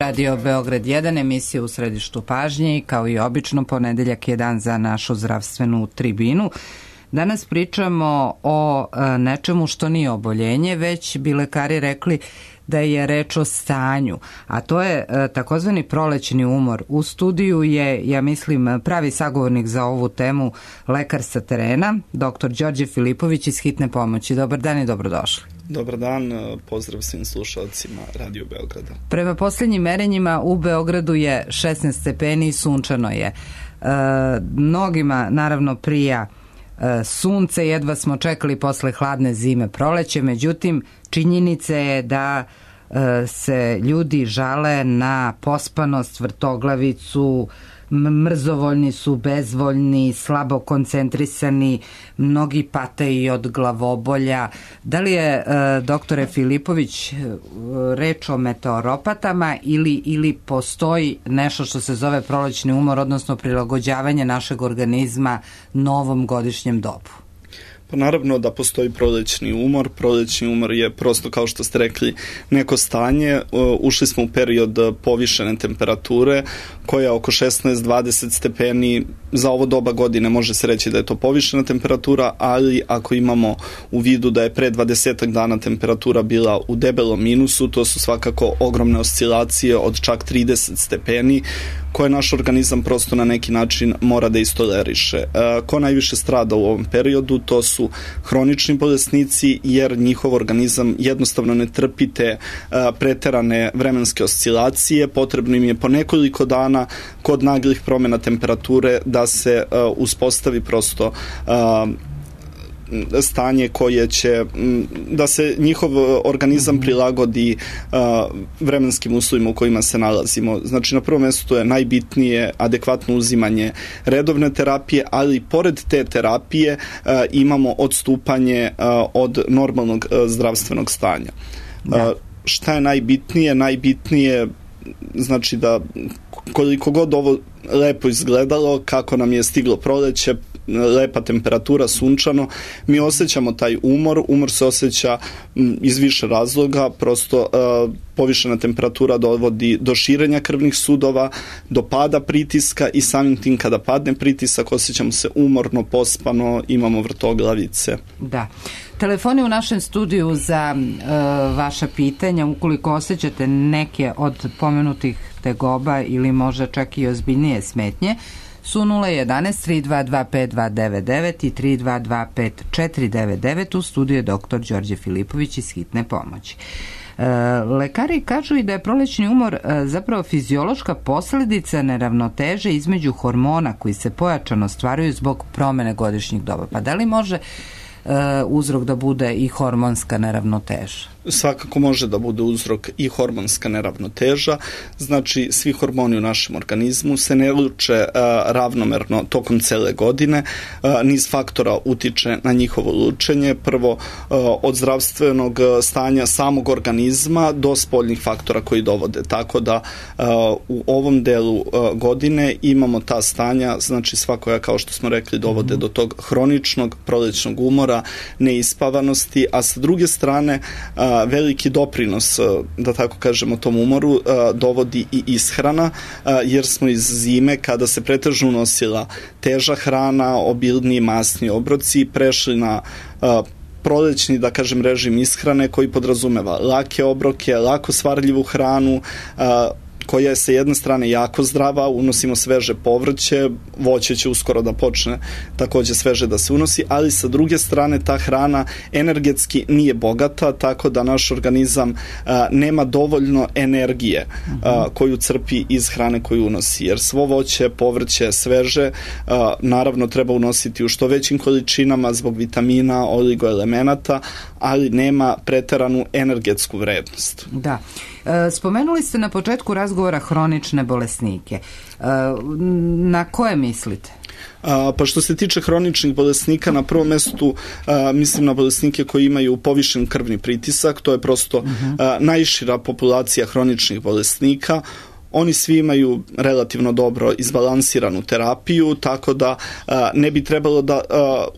Radio Beograd 1, emisija u središtu pažnje i kao i obično ponedeljak je dan za našu zdravstvenu tribinu. Danas pričamo o nečemu što nije oboljenje, već bi lekari rekli da je reč o stanju, a to je takozvani prolećni umor. U studiju je, ja mislim, pravi sagovornik za ovu temu, lekar sa terena, dr. Đorđe Filipović iz Hitne pomoći. Dobar dan i dobrodošli. Dobar dan, pozdrav svim slušalcima Radio Beograda. Prema posljednjim merenjima u Beogradu je 16 stepeni i sunčano je. Mnogima naravno prija sunce, jedva smo čekali posle hladne zime proleće, međutim činjenica je da se ljudi žale na pospanost, vrtoglavicu, mrzovoljni su, bezvoljni, slabo koncentrisani, mnogi pate i od glavobolja. Da li je, doktore Filipović, reč o meteoropatama ili postoji nešto što se zove prolećni umor, odnosno prilagođavanje našeg organizma novom godišnjem dobu? Pa naravno da postoji prolećni umor. Prolećni umor je prosto, kao što ste rekli, neko stanje. Ušli smo u period povišene temperature koja je oko 16-20 stepeni. Za ovo doba godine može se reći da je to povišena temperatura, ali ako imamo u vidu da je pre 20 dana temperatura bila u debelom minusu, to su svakako ogromne oscilacije od čak 30 stepeni koje naš organizam prosto na neki način mora da istoleriše. Ko najviše strada u ovom periodu, to su hronični bolesnici, jer njihov organizam jednostavno ne trpi te preterane vremenske oscilacije. Potrebno im je po nekoliko dana kod naglih promjena temperature da se uspostavi prosto stanje koje će, da se njihov organizam prilagodi vremenskim uslovima u kojima se nalazimo. Znači, na prvom mjestu je najbitnije adekvatno uzimanje redovne terapije, ali pored te terapije imamo odstupanje od normalnog zdravstvenog stanja. Šta je najbitnije? Najbitnije znači da koliko god ovo lepo izgledalo, kako nam je stiglo proleće, lepa temperatura, sunčano, mi osjećamo taj umor. Umor se osjeća iz više razloga, prosto povišena temperatura dovodi do širenja krvnih sudova, do pada pritiska i samim tim kada padne pritisak osjećamo se umorno, pospano, imamo vrtoglavice. Da. Telefoni u našem studiju za vaša pitanja, ukoliko osjećate neke od pomenutih tegoba ili možda čak i ozbiljnije smetnje, su 011 322 5299 i 322 5499. U studiju je dr. Đorđe Filipović iz Hitne pomoći. Lekari kažu i da je prolećni umor zapravo fiziološka posljedica neravnoteže između hormona koji se pojačano stvaraju zbog promjene godišnjih doba. Pa da li može uzrok da bude i hormonska neravnoteža? Svakako može da bude uzrok i hormonska neravnoteža. Znači, svi hormoni u našem organizmu se ne luče ravnomerno tokom cele godine. Niz faktora utiče na njihovo lučenje. Prvo, od zdravstvenog stanja samog organizma do spoljnih faktora koji dovode. Tako da u ovom delu godine imamo ta stanja, znači svakoja, kao što smo rekli, dovode do tog hroničnog prolećnog umora, neispavanosti, a sa druge strane veliki doprinos, da tako kažemo, tom umoru dovodi i ishrana, jer smo iz zime, kada se pretežno unosila teža hrana, obilniji masni obroci, prešli na prolećni, da kažem, režim ishrane koji podrazumeva lake obroke, lako svarljivu hranu, koja je sa jedne strane jako zdrava, unosimo sveže povrće, voće će uskoro da počne također sveže da se unosi, ali sa druge strane ta hrana energetski nije bogata, tako da naš organizam nema dovoljno energije koju crpi iz hrane koju unosi, jer svo voće, povrće, sveže naravno treba unositi u što većim količinama zbog vitamina, oligoelemenata, ali nema preteranu energetsku vrednost. Da. Spomenuli ste na početku razgovora hronične bolesnike. Na koje mislite? Pa što se tiče hroničnih bolesnika, na prvom mjestu mislim na bolesnike koji imaju povišen krvni pritisak. To je prosto najšira populacija hroničnih bolesnika. oni svi imaju relativno dobro izbalansiranu terapiju, tako da ne bi trebalo da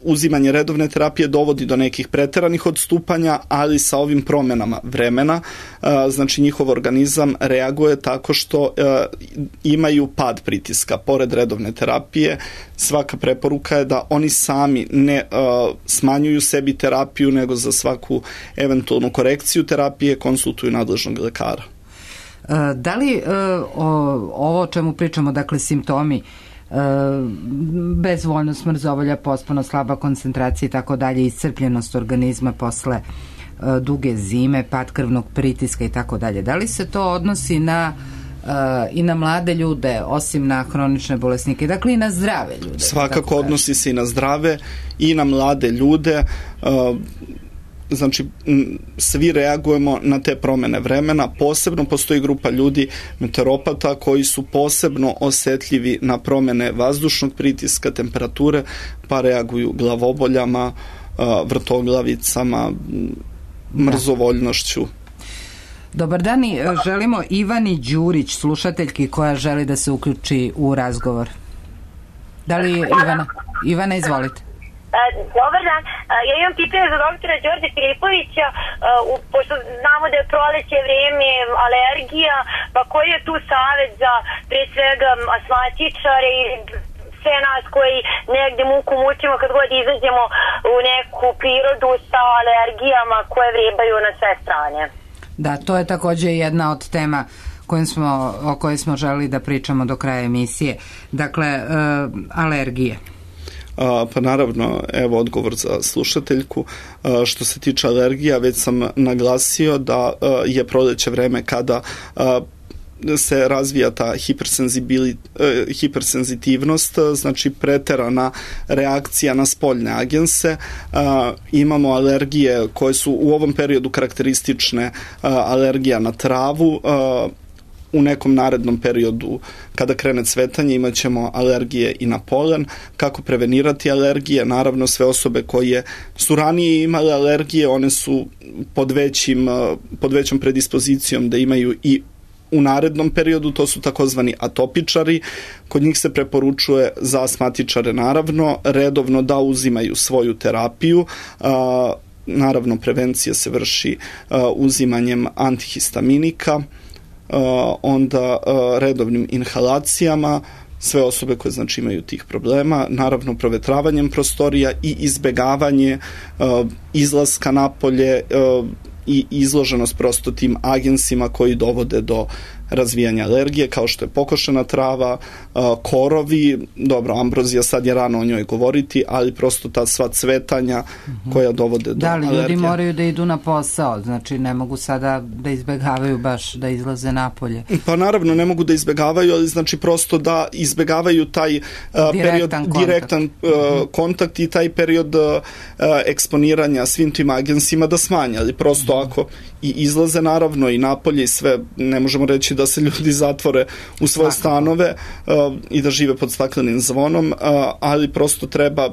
uzimanje redovne terapije dovodi do nekih preteranih odstupanja, ali sa ovim promenama vremena, znači njihov organizam reaguje tako što imaju pad pritiska. Pored redovne terapije, svaka preporuka je da oni sami ne smanjuju sebi terapiju, nego za svaku eventualnu korekciju terapije konsultuju nadležnog lekara. Da li ovo o čemu pričamo, dakle simptomi, bezvoljnost, mrzovolja, pospano, slaba koncentracija i tako dalje, iscrpljenost organizma posle duge zime, pad krvnog pritiska i tako dalje, da li se to odnosi i na mlade ljude, osim na hronične bolesnike, dakle i na zdrave ljude? Svakako odnosi se i na zdrave i na mlade ljude. Znači, svi reagujemo na te promene vremena. Posebno postoji grupa ljudi, meteoropata, koji su posebno osetljivi na promene vazdušnog pritiska, temperature, pa reaguju glavoboljama, vrtoglavicama, mrzovoljnošću. Dobar dan, želimo Ivani Đurić, slušateljki koja želi da se uključi u razgovor. Da li Ivana, izvolite. Dobar dan, ja imam pitanje za doktora Đorđe Filipovića, pošto znamo da je proleće vrijeme, alergija, pa koji je tu savjet za pre svega astmatičare i sve nas koji negde muku mučimo kad god izađemo u neku prirodu sa alergijama koje vrebaju na sve strane? Da, to je takođe jedna od tema o kojoj smo želeli da pričamo do kraja emisije. Dakle, alergije. Pa naravno, evo odgovor za slušateljku. Što se tiče alergija, već sam naglasio da je proleće vreme kada se razvija ta hipersenzitivnost, znači preterana reakcija na spoljne agense. Imamo alergije koje su u ovom periodu karakteristične, alergija na travu. U nekom narednom periodu, kada krene cvetanje, imat ćemo alergije i na polen. Kako prevenirati alergije? Naravno, sve osobe koje su ranije imale alergije, one su pod većom predispozicijom da imaju i u narednom periodu, to su takozvani atopičari. Kod njih se preporučuje, za astmatičare naravno, redovno da uzimaju svoju terapiju. Naravno, prevencija se vrši uzimanjem antihistaminika, onda redovnim inhalacijama, sve osobe koje znači imaju tih problema, naravno provetravanjem prostorija i izbegavanje izlaska napolje i izloženost prosto tim agensima koji dovode do razvijanja alergije, kao što je pokošena trava, korovi, dobro, ambrozija, sad je rano o njoj govoriti, ali prosto ta sva cvetanja koja dovode do alergije. Da li ljudi moraju da idu na posao, znači ne mogu sada da izbegavaju baš da izlaze napolje? Pa naravno ne mogu da izbegavaju, ali znači prosto da izbegavaju taj direktan kontakt i taj period eksponiranja svim tim agensima da smanje, ali prosto ako i izlaze naravno i napolje i sve, ne možemo reći da se ljudi zatvore u svoje stanove i da žive pod staklenim zvonom, ali prosto treba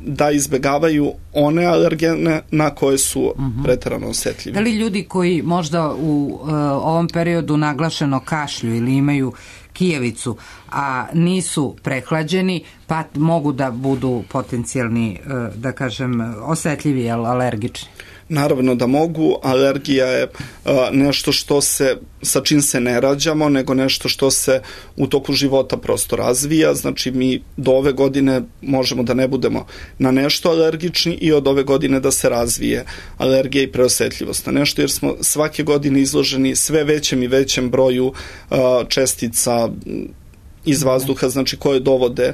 da izbegavaju one alergene na koje su preterano osetljivi. Da li ljudi koji možda u ovom periodu naglašeno kašlju ili imaju kijevicu, a nisu prehlađeni, pa mogu da budu potencijalni, da kažem, osetljivi, alergični? Naravno da mogu. Alergija je nešto sa čim se ne rađamo, nego nešto što se u toku života prosto razvija. Znači mi do ove godine možemo da ne budemo na nešto alergični i od ove godine da se razvije alergija i preosetljivost na nešto, jer smo svake godine izloženi sve većem i većem broju čestica iz vazduha, znači koje dovode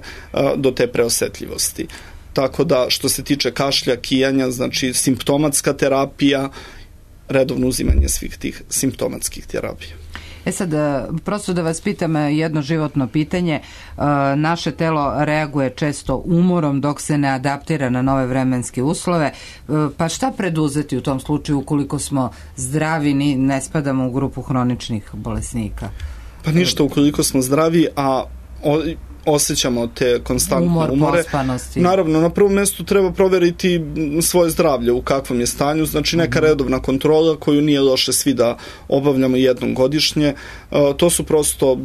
do te preosetljivosti. Tako da što se tiče kašlja, kijanja, znači simptomatska terapija, redovno uzimanje svih tih simptomatskih terapija. Sad, prosto da vas pitam jedno životno pitanje. Naše telo reaguje često umorom dok se ne adaptira na nove vremenske uslove. Pa šta preduzeti u tom slučaju ukoliko smo zdravi, ne spadamo u grupu hroničnih bolesnika? Pa ništa, ukoliko smo zdravi, a osjećamo te konstantne umore. Pospanosti. Naravno, na prvom mjestu treba proveriti svoje zdravlje u kakvom je stanju, znači neka redovna kontrola koju nije loše svi da obavljamo jednom godišnje. To su prosto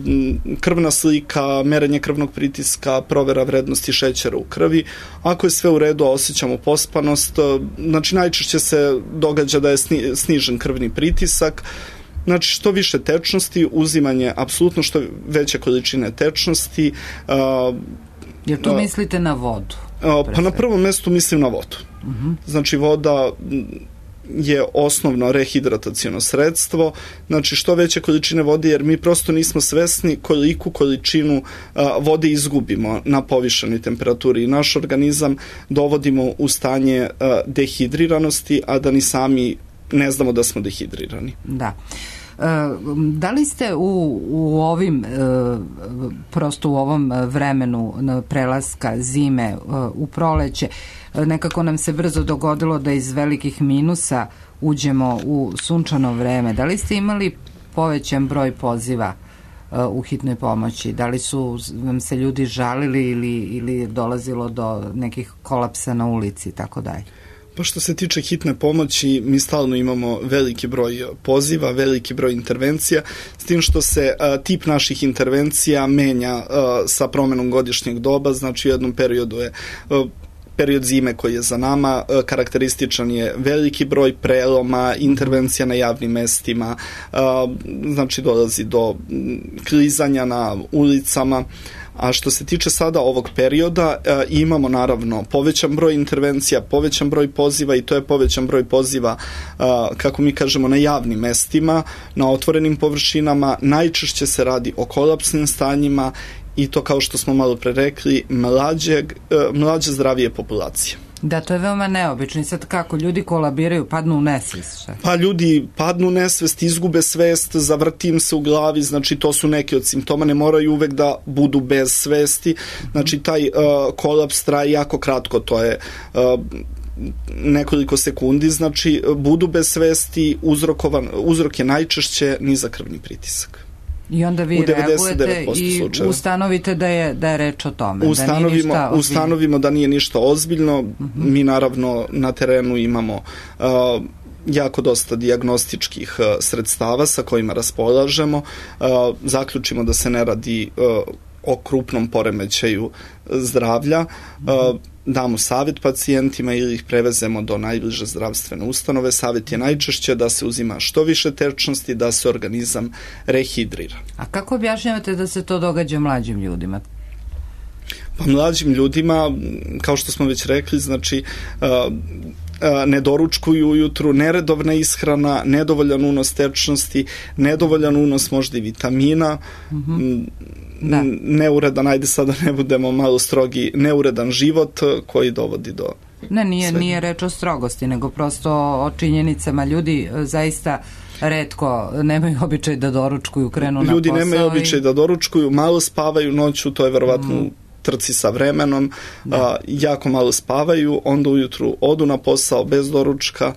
krvna slika, merenje krvnog pritiska, provera vrednosti šećera u krvi. Ako je sve u redu, a osjećamo pospanost, znači najčešće se događa da je snižen krvni pritisak. Znači što više tečnosti, uzimanje apsolutno što veće količine tečnosti. Jer tu mislite na vodu? Pa na prvom mjestu mislim na vodu. Znači voda je osnovno rehidrataciono sredstvo, znači što veće količine vode, jer mi prosto nismo svesni koliku količinu vode izgubimo na povišenoj temperaturi i naš organizam dovodimo u stanje dehidriranosti, a da ni sami ne znamo da smo dehidrirani. Da. Da li ste u ovim prosto u ovom vremenu prelaska zime u proleće, nekako nam se brzo dogodilo da iz velikih minusa uđemo u sunčano vreme, da li ste imali povećan broj poziva u hitnoj pomoći? Da li su vam se ljudi žalili ili je dolazilo do nekih kolapsa na ulici i tako dalje? Pa što se tiče hitne pomoći, mi stalno imamo veliki broj poziva, veliki broj intervencija, s tim što se tip naših intervencija menja sa promenom godišnjeg doba, znači u jednom periodu je period zime koji je za nama, karakterističan je veliki broj preloma, intervencija na javnim mestima, znači dolazi do klizanja na ulicama. A što se tiče sada ovog perioda, imamo naravno povećan broj intervencija, povećan broj poziva i to je povećan broj poziva, kako mi kažemo, na javnim mestima, na otvorenim površinama. Najčešće se radi o kolapsnim stanjima i to, kao što smo malo pre rekli, mlađe zdravije populacije. Da, to je veoma neobično. I sad kako? Ljudi kolabiraju, padnu u nesvest? Pa ljudi padnu u nesvest, izgube svest, zavrti im se u glavi, znači to su neki od simptoma, ne moraju uvek da budu bez svesti, znači taj kolaps traje jako kratko, to je nekoliko sekundi, znači budu bez svesti, uzrok je najčešće nizak krvni pritisak. I onda vi reagujete i ustanovite da je reč o tome. Ustanovimo da nije ništa ozbiljno. Mi naravno na terenu imamo jako dosta dijagnostičkih sredstava sa kojima raspolažemo. Zaključimo da se ne radi o krupnom poremećaju zdravlja, damo savjet pacijentima ili ih prevezemo do najbliže zdravstvene ustanove. Savjet je najčešće da se uzima što više tečnosti, da se organizam rehidrira. A kako objašnjavate da se to događa mlađim ljudima? Pa mlađim ljudima, kao što smo već rekli, znači ne doručkuju ujutru, neredovna ishrana, nedovoljan unos tečnosti, nedovoljan unos možda i vitamina, neuredan, ajde sada ne budemo malo strogi, neuredan život koji dovodi do... Nije reč o strogosti, nego prosto o činjenicama. Ljudi zaista retko nemaju običaj da doručkuju, krenu na posao. Ljudi nemaju običaj da doručkuju, malo spavaju noću, to je verovatno trci sa vremenom, jako malo spavaju, onda ujutru odu na posao bez doručka,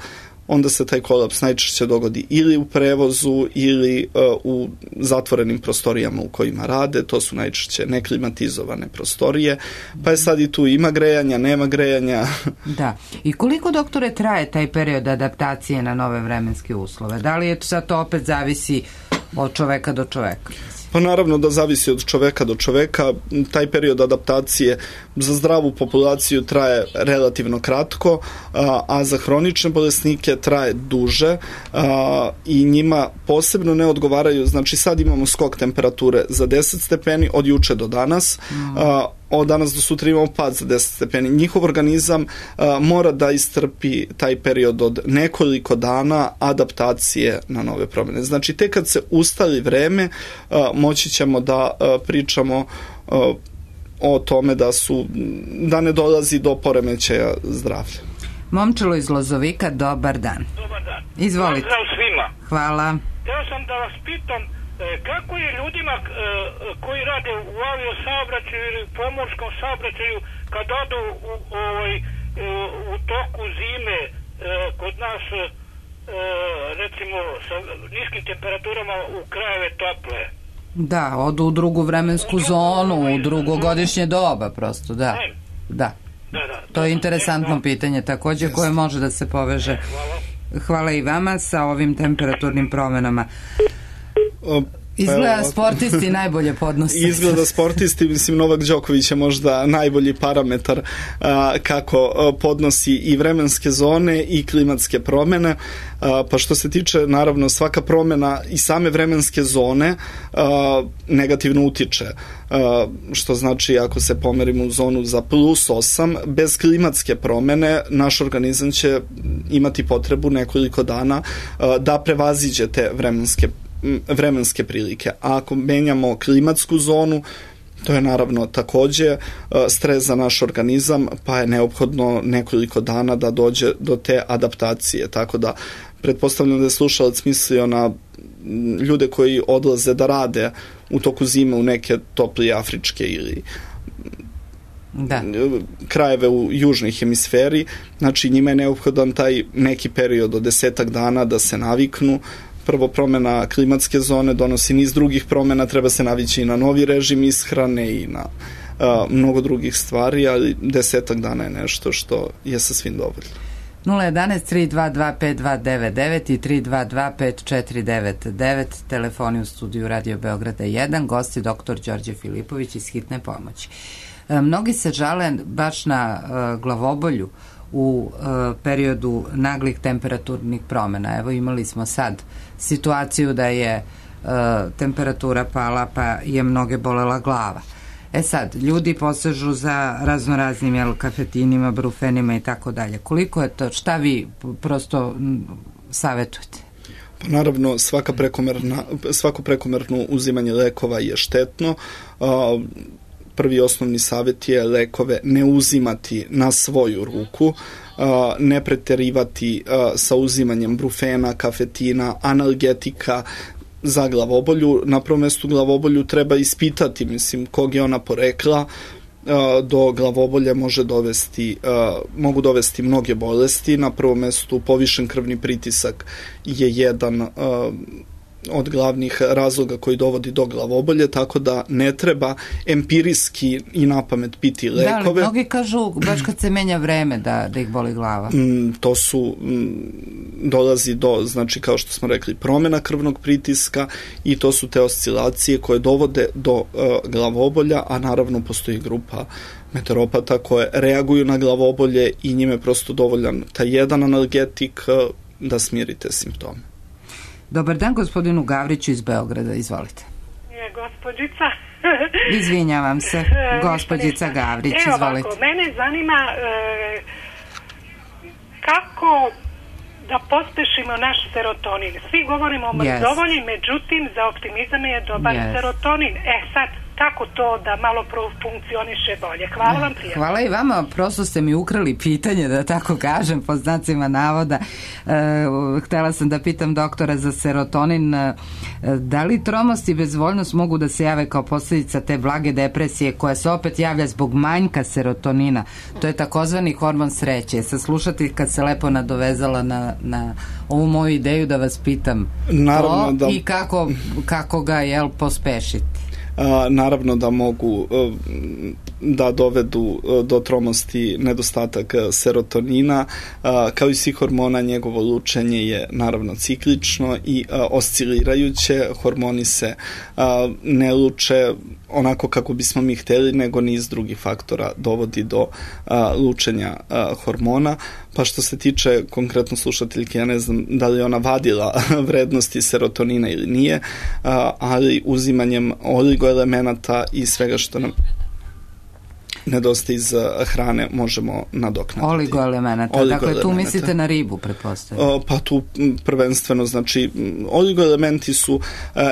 onda se taj kolaps najčešće dogodi ili u prevozu ili u zatvorenim prostorijama u kojima rade, to su najčešće neklimatizovane prostorije, pa je sad i tu ima grejanja, nema grejanja. Da, i koliko, doktore, traje taj period adaptacije na nove vremenske uslove? Da li je sad to opet zavisi od čoveka do čoveka? Pa naravno da zavisi od čoveka do čoveka. Taj period adaptacije za zdravu populaciju traje relativno kratko, a za hronične bolesnike traje duže i njima posebno ne odgovaraju. Znači sad imamo skok temperature za 10 stepeni od juče do danas, od danas do sutra imamo pad za 10 stepeni. Njihov organizam mora da istrpi taj period od nekoliko dana adaptacije na nove promjene. Znači tek kad se ustali vreme, moći ćemo da pričamo o tome da ne dolazi do poremećaja zdravlja. Momčilo iz Lozovika, dobar dan. Dobar dan. Izvolite. Pozdrav svima. Hvala. Htio sam da vas pitam kako je ljudima koji rade u aviosaobraćaju ili pomorskom saobraćaju kad odu u toku zime kod nas recimo sa niskim temperaturama u krajeve tople. Da, odu u drugu vremensku zonu, u drugogodišnje doba prosto, da. To je interesantno pitanje također koje može da se poveže. Hvala i vama sa ovim temperaturnim promenama. Izgleda sportisti najbolje podnose. Izgleda sportisti, mislim Novak Đoković je možda najbolji parametar kako podnosi i vremenske zone i klimatske promene, pa što se tiče naravno svaka promena i same vremenske zone negativno utiče, što znači ako se pomerimo u zonu za +8, bez klimatske promene naš organizam će imati potrebu nekoliko dana da prevaziđe te vremenske prilike. A ako menjamo klimatsku zonu, to je naravno takođe stres za naš organizam, pa je neophodno nekoliko dana da dođe do te adaptacije. Tako da pretpostavljam da je slušalac mislio na ljude koji odlaze da rade u toku zime u neke toplije afričke ili krajeve u južnoj hemisferi. Znači njima je neophodan taj neki period od 10 dana da se naviknu. Prvo, promena klimatske zone donosi niz drugih promena, treba se navići i na novi režim ishrane i na mnogo drugih stvari, ali 10 dana je nešto što je sasvim dovoljno. 011-322-5299 i 322-5499, telefoni u studiju Radio Beograda 1, gosti dr. Đorđe Filipović iz Hitne pomoći. Mnogi se žale baš na glavobolju u periodu naglih temperaturnih promjena. Evo imali smo sad situaciju da je temperatura pala pa je mnoge bolela glava. Sad, ljudi posežu za raznoraznim kafetinima, brufenima i tako dalje. Koliko je to, šta vi prosto savjetujete? Pa naravno, svako prekomerno uzimanje lekova je štetno. Prvi osnovni savjet je lekove ne uzimati na svoju ruku, ne preterivati sa uzimanjem brufena, kafetina, analgetika za glavobolju. Na prvom mestu glavobolju treba ispitati, mislim, kog je ona porekla. Do glavobolje mogu dovesti mnoge bolesti. Na prvom mestu povišen krvni pritisak je jedan od glavnih razloga koji dovodi do glavobolje, tako da ne treba empirijski i napamet piti lekove. Da, ali mnogi kažu baš kad se menja vreme da ih boli glava. To dolazi do, znači kao što smo rekli, promjena krvnog pritiska i to su te oscilacije koje dovode do glavobolja, a naravno postoji grupa meteoropata koje reaguju na glavobolje i njime je prosto dovoljan taj jedan analgetik da smirite simptome. Dobar dan gospodinu Gavriću iz Beograda, izvolite. Gospođica. Izvinjavam se, gospođica Gavrić, izvolite. Ovako, mene zanima kako da pospešimo naš serotonin. Svi govorimo o mrzovolji, međutim za optimizam je dobar serotonin. Sad, kako to da malo funkcioniše bolje? Hvala vam, prijatno. Hvala i vama, prosto ste mi ukrali pitanje, da tako kažem, po znacima navoda. Htela sam da pitam doktora za serotonin, da li tromost i bezvoljnost mogu da se jave kao posljedica te blage depresije koja se opet javlja zbog manjka serotonina? To je takozvani hormon sreće. Sad slušati kad se lepo nadovezala na ovu moju ideju da vas pitam to i kako ga pospešiti. Naravno da mogu da dovedu do tromosti nedostatak serotonina, kao i svih hormona. Njegovo lučenje je naravno ciklično i oscilirajuće. Hormoni se ne luče onako kako bismo mi hteli, nego niz drugih faktora dovodi do lučenja hormona. Pa što se tiče konkretno slušateljke, ja ne znam da li ona vadila vrednosti serotonina ili nije, ali uzimanjem oligoelemenata i svega što nam nedostaje iz hrane možemo nadoknaditi. Oligoelemenata, dakle tu mislite na ribu, pretpostavljam? Pa tu prvenstveno, znači oligoelementi su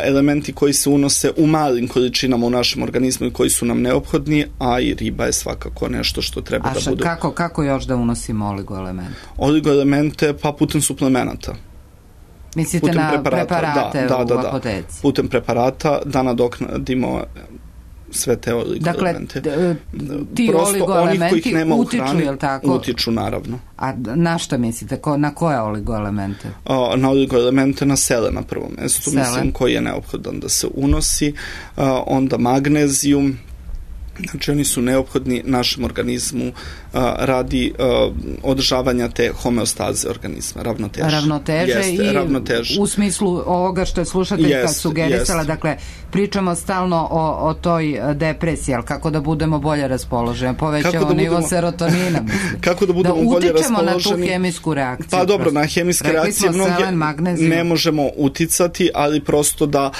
elementi koji se unose u malim količinama u našem organizmu i koji su nam neophodni, a i riba je svakako nešto što treba da bude. A kako još da unosimo oligoelemente? Oligoelemente pa putem suplemenata. Mislite putem na preparate u apoteci? Putem preparata da nadoknadimo sve te oligoelemente. Dakle, ti oligoelementi utiču, je li tako? Utiču, naravno. A na šta mislite? Na koje oligoelemente? Na oligoelemente na selen na prvom mjestu, mislim, koji je neophodan da se unosi. Onda magnezijum, znači oni su neophodni našem organizmu radi održavanja te homeostaze organizma, ravnoteže. U smislu ovoga što je slušateljka sugerisala, dakle, pričamo stalno o toj depresiji, ali kako da budemo bolje raspoloženi, povećamo nivo serotonina, mislim. Kako da budemo bolje raspoloženi? Da utičemo na tu hemijsku reakciju. Pa dobro, na hemijske reakcije ne možemo uticati, ali prosto da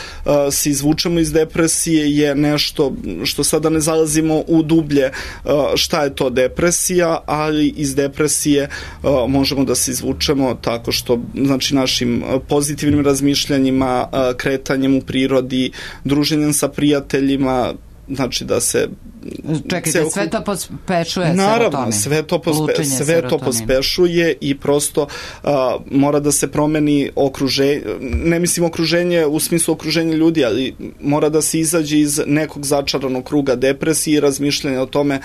se izvučemo iz depresije je nešto što sada ne zalazimo u dublje šta je to depresija, ali iz depresije možemo da se izvučemo tako što, znači, našim pozitivnim razmišljanjima, kretanjem u prirodi, druženjem sa prijateljima, znači da se... Čekajte, sve to pospešuje serotonin. Naravno, sve to pospešuje i prosto mora da se promeni okruženje, ne mislim okruženje u smislu okruženja ljudi, ali mora da se izađe iz nekog začaranog kruga depresije i razmišljanja o tome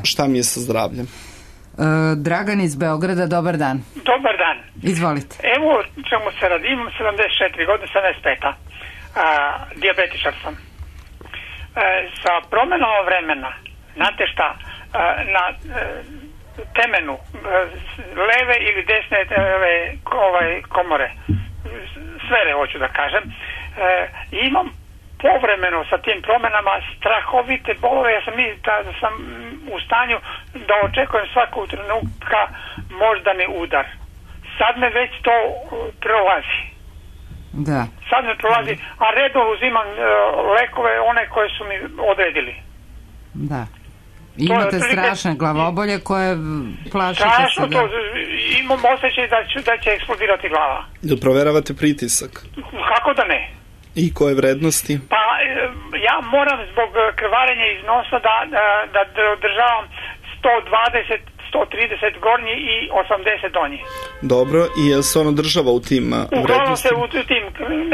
šta mi je sa zdravljem. Dragan iz Beograda, dobar dan. Dobar dan. Izvolite. Evo čemu se radi, imam 74 godine, 75. Dijabetičar sam. Sa promenom vremena, znate šta, na temenu leve ili desne komore, sfere, hoću da kažem, imam povremeno sa tim promenama strahovite bolove. Ja sam u stanju da očekujem svakog trenutka moždani udar. Sad me već to prolazi. Da. Sad me prolazi, a redom uzimam lekove, one koje su mi odredili. Da. Imate strašne glavobolje koje plašite se. Strašno to, imam osjećaj da će eksplodirati glava. Da proveravate pritisak? Kako da ne? I koje vrednosti? Pa ja moram zbog krvarenja iz nosa da održavam 120, 130 gornji i 80 donji. Dobro, i je se ono država u tim vrednostima? Uglavnom se u tim,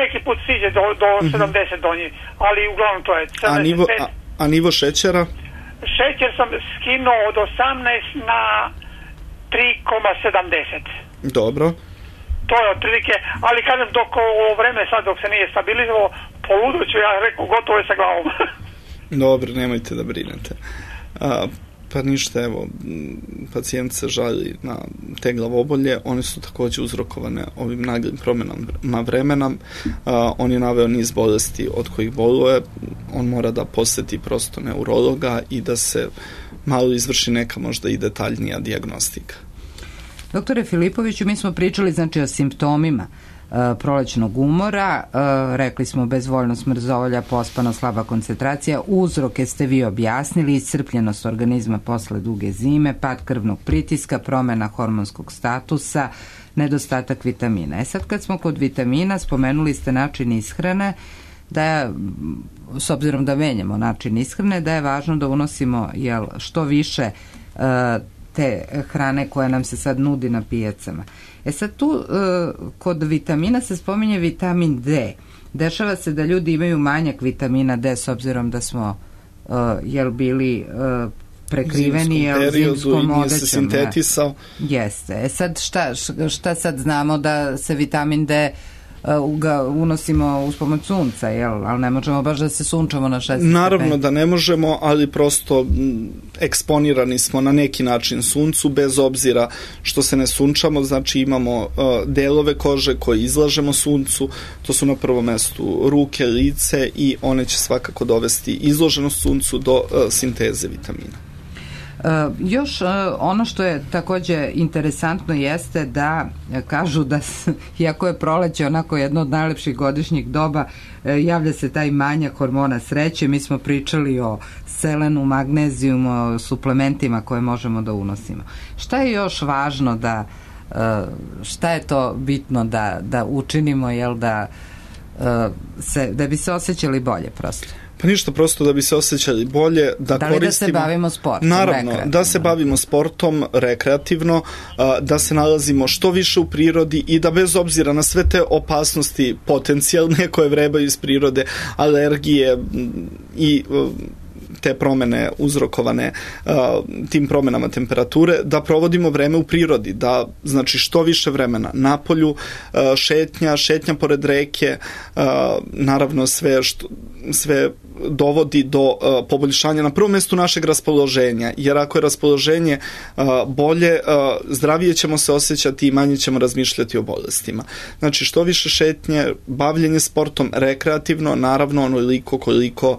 neki put siđe do 70 donji, ali uglavnom to je 75. A nivo šećera? Šećer sam skinuo od 18 na 3,70. Dobro. To je otprilike, ali kažem, dok ovo vreme sad, dok se nije stabilizovalo, poluduću, ja rekao, gotovo je sa glavom. Dobro, nemojte da brinete. Pa ništa, evo, pacijent se žali na te glavobolje, one su također uzrokovane ovim naglim promjenama vremena. On je naveo niz bolesti od kojih boluje, on mora da poseti prosto neurologa i da se malo izvrši neka možda i detaljnija dijagnostika. Doktore Filipoviću, mi smo pričali, znači, o simptomima prolećnog umora, rekli smo bezvoljnost, mrzovolja, pospano, slaba koncentracija, uzroke ste vi objasnili, iscrpljenost organizma posle duge zime, pad krvnog pritiska, promjena hormonskog statusa, nedostatak vitamina. Sad kad smo kod vitamina, spomenuli ste način ishrane, da je, s obzirom da menjamo način ishrane, da je važno da unosimo što više te hrane koja nam se sad nudi na pijacama. Sad tu kod vitamina se spominje vitamin D. Dešava se da ljudi imaju manjak vitamina D s obzirom da smo bili prekriveni zimskom odećom. Sintetisao. Jeste. Sad šta sad znamo da se vitamin D ga unosimo uz pomoć sunca, ali ne možemo baš da se sunčamo na 6 stepeni. Naravno da ne možemo, ali prosto eksponirani smo na neki način suncu, bez obzira što se ne sunčamo, znači imamo delove kože koje izlažemo suncu, to su na prvom mestu ruke, lice, i one će svakako dovesti izloženost suncu do sinteze vitamina. Još ono što je također interesantno jeste da kažu da, iako je proleće onako jedno od najlepših godišnjih doba, javlja se taj manjak hormona sreće. Mi smo pričali o selenu, magnezijumu, o suplementima koje možemo da unosimo. Šta je još važno šta je to bitno da učinimo, da da bi se osjećali bolje prosto? Pa ništa, prosto da bi se osjećali bolje, da koristimo... Da se bavimo sportom? Naravno, da se bavimo sportom rekreativno, da se nalazimo što više u prirodi i da bez obzira na sve te opasnosti potencijalne koje vrebaju iz prirode, alergije i te promene uzrokovane tim promenama temperature, da provodimo vreme u prirodi, da znači što više vremena napolju, šetnja pored reke, naravno sve dovodi do poboljšanja na prvom mjestu našeg raspoloženja, jer ako je raspoloženje bolje, zdravije ćemo se osjećati i manje ćemo razmišljati o bolestima. Znači što više šetnje, bavljenje sportom rekreativno, naravno onoliko koliko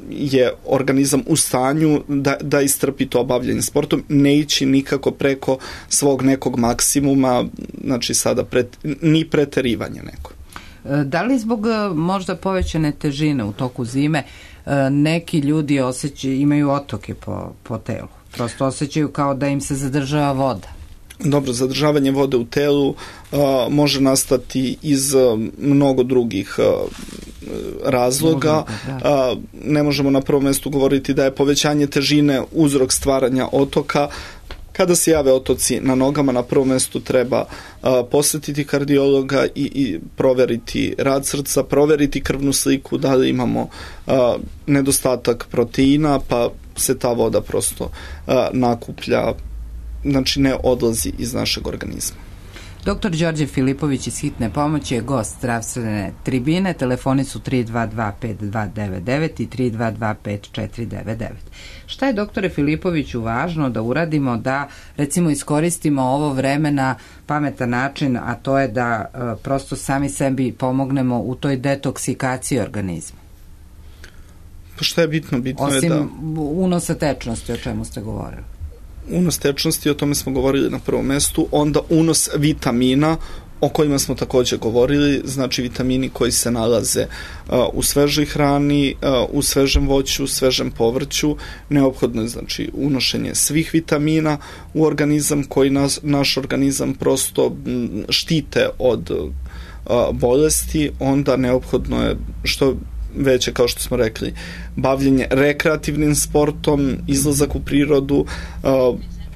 je organizam u stanju da istrpi to bavljenje sportom, ne ići nikako preko svog nekog maksimuma, znači sada ni preterivanje neko. Da li zbog možda povećane težine u toku zime neki ljudi imaju otoke po telu? Prosto osjećaju kao da im se zadržava voda. Dobro, zadržavanje vode u telu može nastati iz mnogo drugih razloga. Ne možemo na prvom mjestu govoriti da je povećanje težine uzrok stvaranja otoka. Kada se jave otoci na nogama, na prvom mjestu treba posjetiti kardiologa i proveriti rad srca, proveriti krvnu sliku, da li imamo nedostatak proteina, pa se ta voda prosto nakuplja, znači ne odlazi iz našeg organizma. Dr. Đorđe Filipović iz Hitne pomoći je gost zdravstvene tribine. Telefoni su 322-5299 i 322-5499. Šta je, doktore Filipoviću, važno da uradimo da recimo iskoristimo ovo vreme na pametan način, a to je da prosto sami sebi pomognemo u toj detoksikaciji organizma? Pa šta je bitno? Bitno je da... Osim unosa tečnosti, o čemu ste govorili. Unos tečnosti, o tome smo govorili na prvom mjestu, onda unos vitamina, o kojima smo također govorili, znači vitamini koji se nalaze u svežoj hrani, u svežem voću, u svežem povrću. Neophodno je znači unošenje svih vitamina u organizam koji naš organizam prosto štite od bolesti. Onda neophodno je što veće, kao što smo rekli, bavljenje rekreativnim sportom, izlazak u prirodu,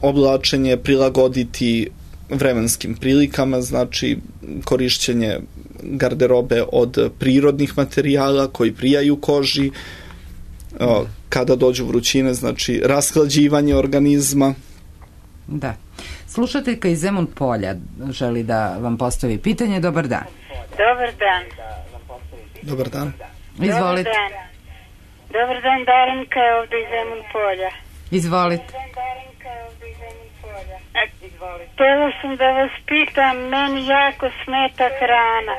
oblačenje prilagoditi vremenskim prilikama, znači korišćenje garderobe od prirodnih materijala koji prijaju koži, kada dođu vrućine, znači rashlađivanje organizma. Da. Slušateljka iz Zemun Polja želi da vam postavi pitanje. Dobar dan. Dobar dan. Dobar dan. Izvolite. Dobar dan, Darinka je ovdje iz Zemun Polja. Izvolite. Htjela sam da vas pitam, meni jako smeta hrana.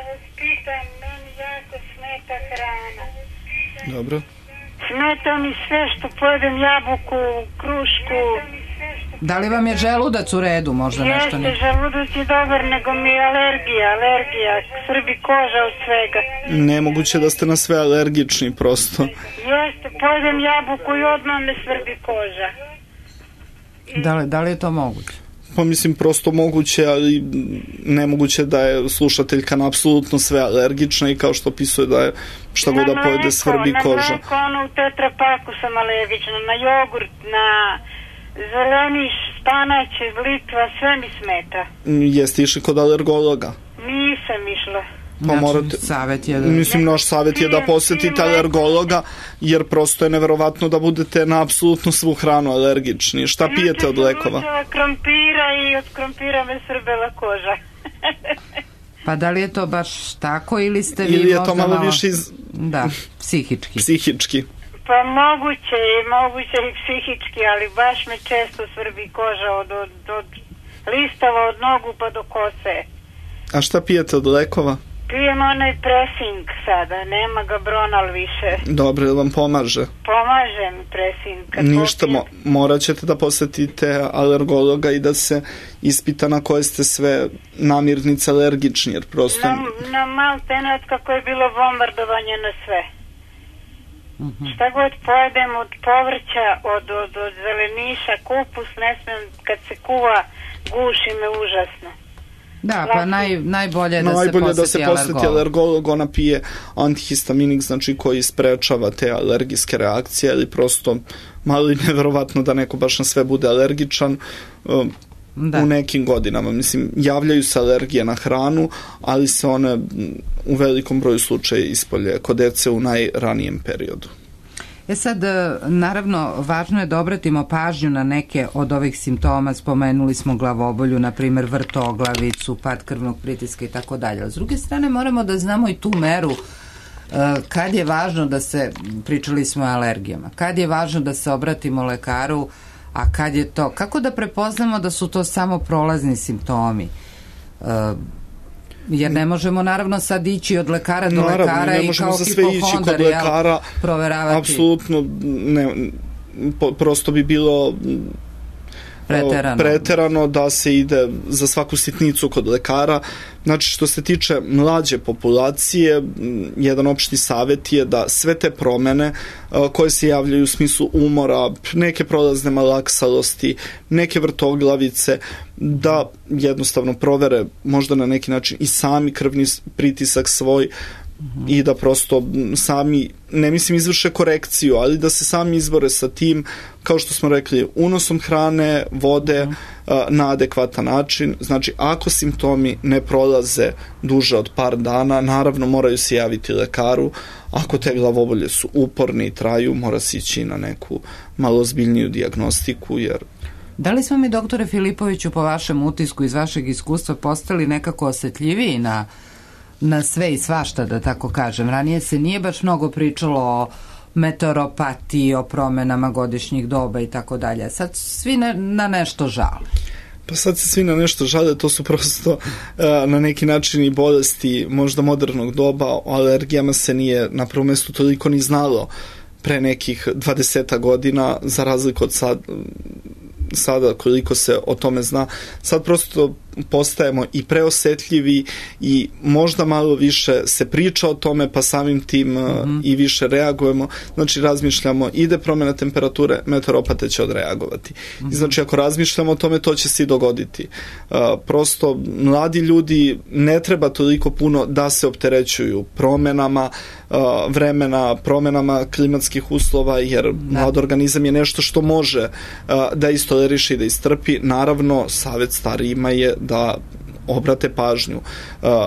Dobro. Smeta mi sve što pojedem, jabuku, krušku. Da li vam je želudac u redu, možda nešto ne? Jeste, želudac je dobar, nego mi je alergija, srbi koža od svega. Nemoguće da ste na sve alergični, prosto. Jeste, pojedem jabuku i odmah me svrbi koža. Da li je to moguće? Pa mislim prosto moguće, ali nemoguće da je slušateljka na apsolutno sve alergična i kao što opisuje da je šta god da pojede svrbi koža. Na mleko, u tetrapaku sam alergična, na jogurt, na zeleniš, spanać, litva, sve mi smeta. Jeste išli kod alergologa? Nisam išla. Pa morate, mislim, naš savjet je da posjetite alergologa, jer prosto je neverovatno da budete na apsolutno svu hranu alergični. Šta pijete od lekova? Krompira i od krompira me srbela koža. Pa da li je to baš tako ili ste vi ili je možda to malo više Da, psihički. Psihički. Pa moguće i psihički, ali baš me često svrbi koža od listava, od nogu pa do kose. A šta pijete od lekova? Pijem onaj Presing sada, nema ga Bronal više. Dobro, ili vam pomaže? Pomaže mi Presing. Ništa, morat ćete da posjetite alergologa i da se ispita na koje ste sve namirnice alergični, jer prosto... Na maltene od kako je bilo bombardovanje na sve. Šta god pojedem od povrća, od zeleniša, kupus, ne smijem, kad se kuva, guši me užasno. Da, pa najbolje da se posjeti alergolog, ona pije antihistaminik, znači koji sprečava te alergijske reakcije, ili prosto malo i neverovatno da neko baš na sve bude alergičan. U nekim godinama, mislim, javljaju se alergije na hranu, ali se one u velikom broju slučaja ispolje kod dece u najranijem periodu. Sad, naravno, važno je da obratimo pažnju na neke od ovih simptoma. Spomenuli smo glavobolju, na primjer vrtoglavicu, pad krvnog pritiska i tako dalje. S druge strane, moramo da znamo i tu meru kad je važno da se, pričali smo o alergijama, kad je važno da se obratimo lekaru, a kad je to, kako da prepoznamo da su to samo prolazni simptomi? Jer ne možemo naravno sad ići od lekara do lekara i kao hipohondar proveravati. Apsolutno ne, prosto bi bilo preterano da se ide za svaku sitnicu kod lekara. Znači, što se tiče mlađe populacije, jedan opšti savjet je da sve te promene koje se javljaju u smislu umora, neke prolazne malaksalosti, neke vrtoglavice, da jednostavno provere možda na neki način i sami krvni pritisak svoj i da prosto sami, ne mislim izvrše korekciju, ali da se sami izbore sa tim, kao što smo rekli, unosom hrane, vode na adekvatan način. Znači, ako simptomi ne prolaze duže od par dana, naravno moraju se javiti lekaru. Ako te glavobolje su uporne i traju, mora se ići na neku malo ozbiljniju dijagnostiku, jer... Da li smo mi, doktore Filipoviću, po vašem utisku iz vašeg iskustva postali nekako osjetljiviji na sve i svašta, da tako kažem? Ranije se nije baš mnogo pričalo o meteoropatiji, o promenama godišnjih doba i tako dalje. Sad svi na nešto žale. Pa sad se svi na nešto žale, to su prosto na neki način i bolesti možda modernog doba. O alergijama se nije na prvom mjestu toliko ni znalo pre nekih 20 godina, za razliku od sada koliko se o tome zna. Sad prosto postajemo i preosetljivi i možda malo više se priča o tome, pa samim tim i više reagujemo. Znači, razmišljamo, ide promjena temperature, meteoropate će odreagovati. I znači, ako razmišljamo o tome, to će se i dogoditi. Prosto, mladi ljudi ne treba toliko puno da se opterećuju promjenama vremena, promjenama klimatskih uslova, jer mlad organizam je nešto što može da istoleriše i da istrpi. Naravno, savjet starijima je da obrate pažnju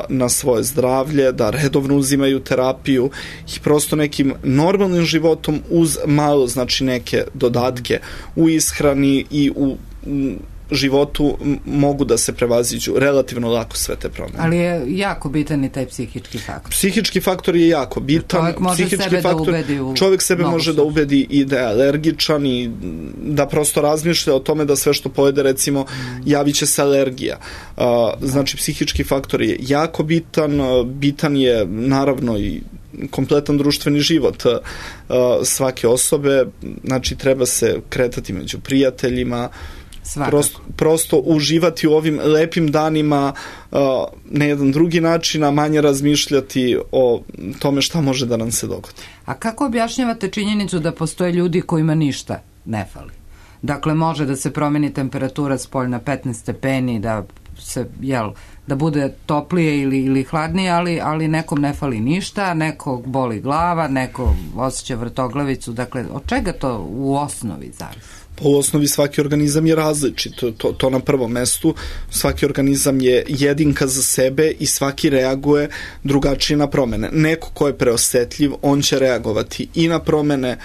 na svoje zdravlje, da redovno uzimaju terapiju i prosto nekim normalnim životom uz malo, znači, neke dodatke u ishrani i u životu mogu da se prevaziđu relativno lako sve te promjene. Ali je jako bitan i taj psihički faktor. Psihički faktor je jako bitan. Čovjek može sebe da ubedi u... Čovjek sebe može da ubedi i da je alergičan i da prosto razmišlja o tome da sve što pojede, recimo, javit će se alergija. Znači, psihički faktor je jako bitan. Bitan je naravno i kompletan društveni život svake osobe. Znači, treba se kretati među prijateljima, prosto uživati u ovim lepim danima na jedan drugi način, a manje razmišljati o tome šta može da nam se dogodi. A kako objašnjavate činjenicu da postoje ljudi kojima ništa ne fali? Dakle, može da se promeni temperatura spoljna 15 stepeni, da se, da bude toplije ili hladnije, ali nekom ne fali ništa, nekog boli glava, neko osjeća vrtoglavicu. Dakle, od čega to u osnovi zavisi? Po osnovi svaki organizam je različit, to na prvom mestu. Svaki organizam je jedinka za sebe i svaki reaguje drugačije na promene. Neko ko je preosetljiv, on će reagovati i na promene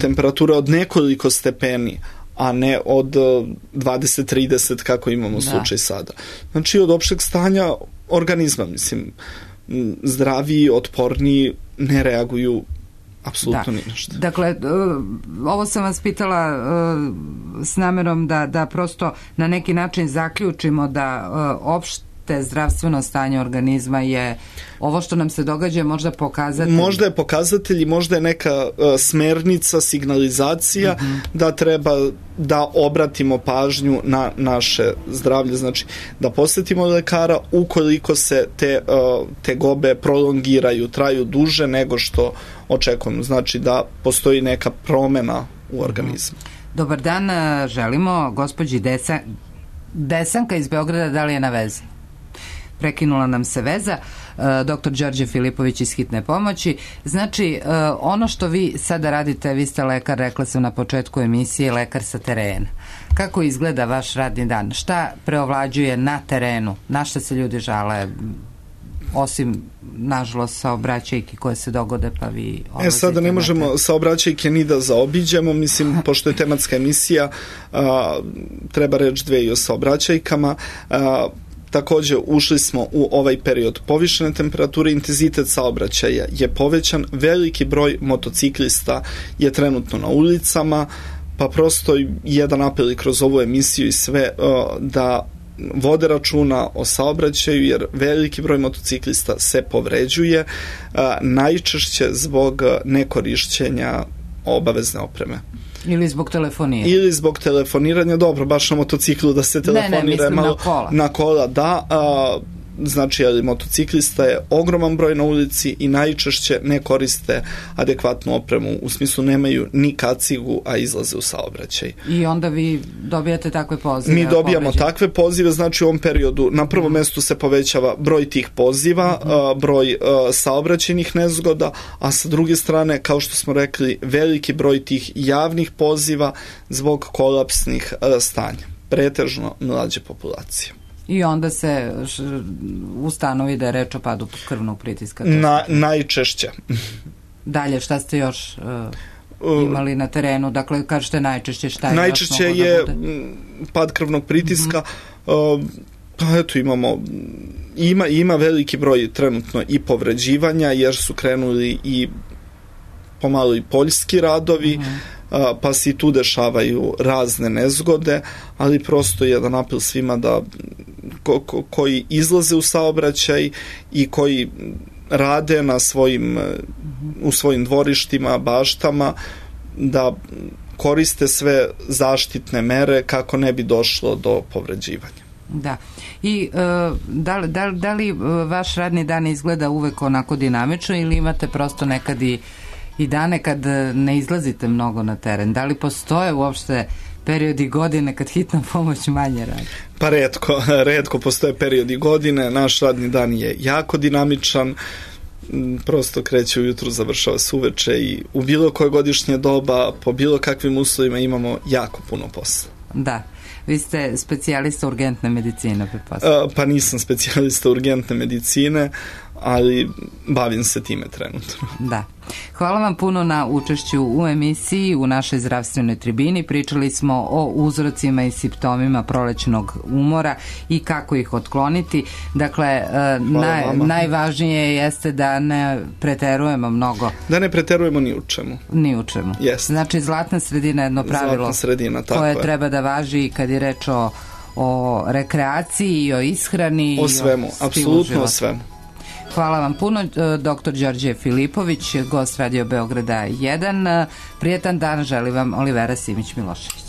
temperature od nekoliko stepeni, a ne od 20-30 kako imamo slučaj sada. Znači, od opšteg stanja organizma, mislim, zdraviji, otporniji ne reaguju apsolutno ništa. Dakle, ovo sam vas pitala s namerom da prosto na neki način zaključimo da opšte zdravstveno stanje organizma je ovo što nam se događa, možda pokazatelj. Možda je pokazatelj i možda je neka smernica, signalizacija da treba da obratimo pažnju na naše zdravlje, znači da posjetimo lekara ukoliko se te tegobe prolongiraju, traju duže nego što očekujemo, znači da postoji neka promjena u organizmu. Dobar dan, želimo gospođi Desanka iz Beograda, da li je na vezi? prekinula nam se veza. Dr. Đorđe Filipović iz Hitne pomoći. Znači, ono što vi sada radite, vi ste lekar, rekla sam na početku emisije, lekar sa terena. Kako izgleda vaš radni dan? Šta preovlađuje na terenu? Na šta se ljudi žale? Osim, nažalost, saobraćajki koje se dogode, pa vi... Sada ne možemo saobraćajke ni da zaobiđemo, mislim, pošto je tematska emisija, treba reći dve i o saobraćajkama. Također ušli smo u ovaj period povišene temperature, intenzitet saobraćaja je povećan, veliki broj motociklista je trenutno na ulicama, pa prosto jedan apel i kroz ovu emisiju i sve da vode računa o saobraćaju, jer veliki broj motociklista se povređuje, najčešće zbog nekorišćenja obavezne opreme. Ili zbog telefoniranja. Ili zbog telefoniranja, dobro, baš na motociklu da se telefonira malo na kola, da. Znači, ali motociklista je ogroman broj na ulici i najčešće ne koriste adekvatnu opremu, u smislu nemaju ni kacigu, a izlaze u saobraćaj. I onda vi dobijate takve pozive? Mi dobijamo takve pozive, znači u ovom periodu na prvom mjestu se povećava broj tih poziva, broj saobraćajnih nezgoda, a sa druge strane, kao što smo rekli, veliki broj tih javnih poziva zbog kolapsnih stanja, pretežno mlađe populacije. I onda se ustanovi da je reč o padu krvnog pritiska. Najčešće. Dalje, šta ste još imali na terenu? Dakle, kažete najčešće, šta je najčešće je pad krvnog pritiska. Pa eto, ima veliki broj trenutno i povređivanja, jer su krenuli i pomalo i poljski radovi, pa se i tu dešavaju razne nezgode, ali prosto jedan apel svima da koji izlaze u saobraćaj i koji rade u svojim dvorištima, baštama, da koriste sve zaštitne mere kako ne bi došlo do povređivanja. Da. I da li vaš radni dan izgleda uvek onako dinamično ili imate prosto nekad i dane kad ne izlazite mnogo na teren? Da li postoje uopšte periodi godine kad hitna pomoć manje radi? Pa retko postoje periodi godine. Naš radni dan je jako dinamičan, prosto kreće ujutru, završava se uveče i u bilo koje godišnje doba, po bilo kakvim uslovima imamo jako puno posla. Da. Vi ste specijalista urgentne medicine, pa nisam specijalista urgentne medicine, ali bavim se time trenutno. Da. Hvala vam puno na učešću u emisiji, u našoj zdravstvenoj tribini. Pričali smo o uzrocima i simptomima prolećnog umora i kako ih otkloniti. Dakle, najvažnije jeste da ne preterujemo mnogo. Da ne preterujemo ni u čemu. Ni u čemu. Jest. Znači, zlatna sredina je jedno pravilo koje treba da važi kad je reč o rekreaciji i o ishrani. O svemu, apsolutno o svemu. Hvala vam puno, dr. Đorđe Filipović, gost Radio Beograda 1. Prijetan dan želi vam Olivera Simić-Milošević.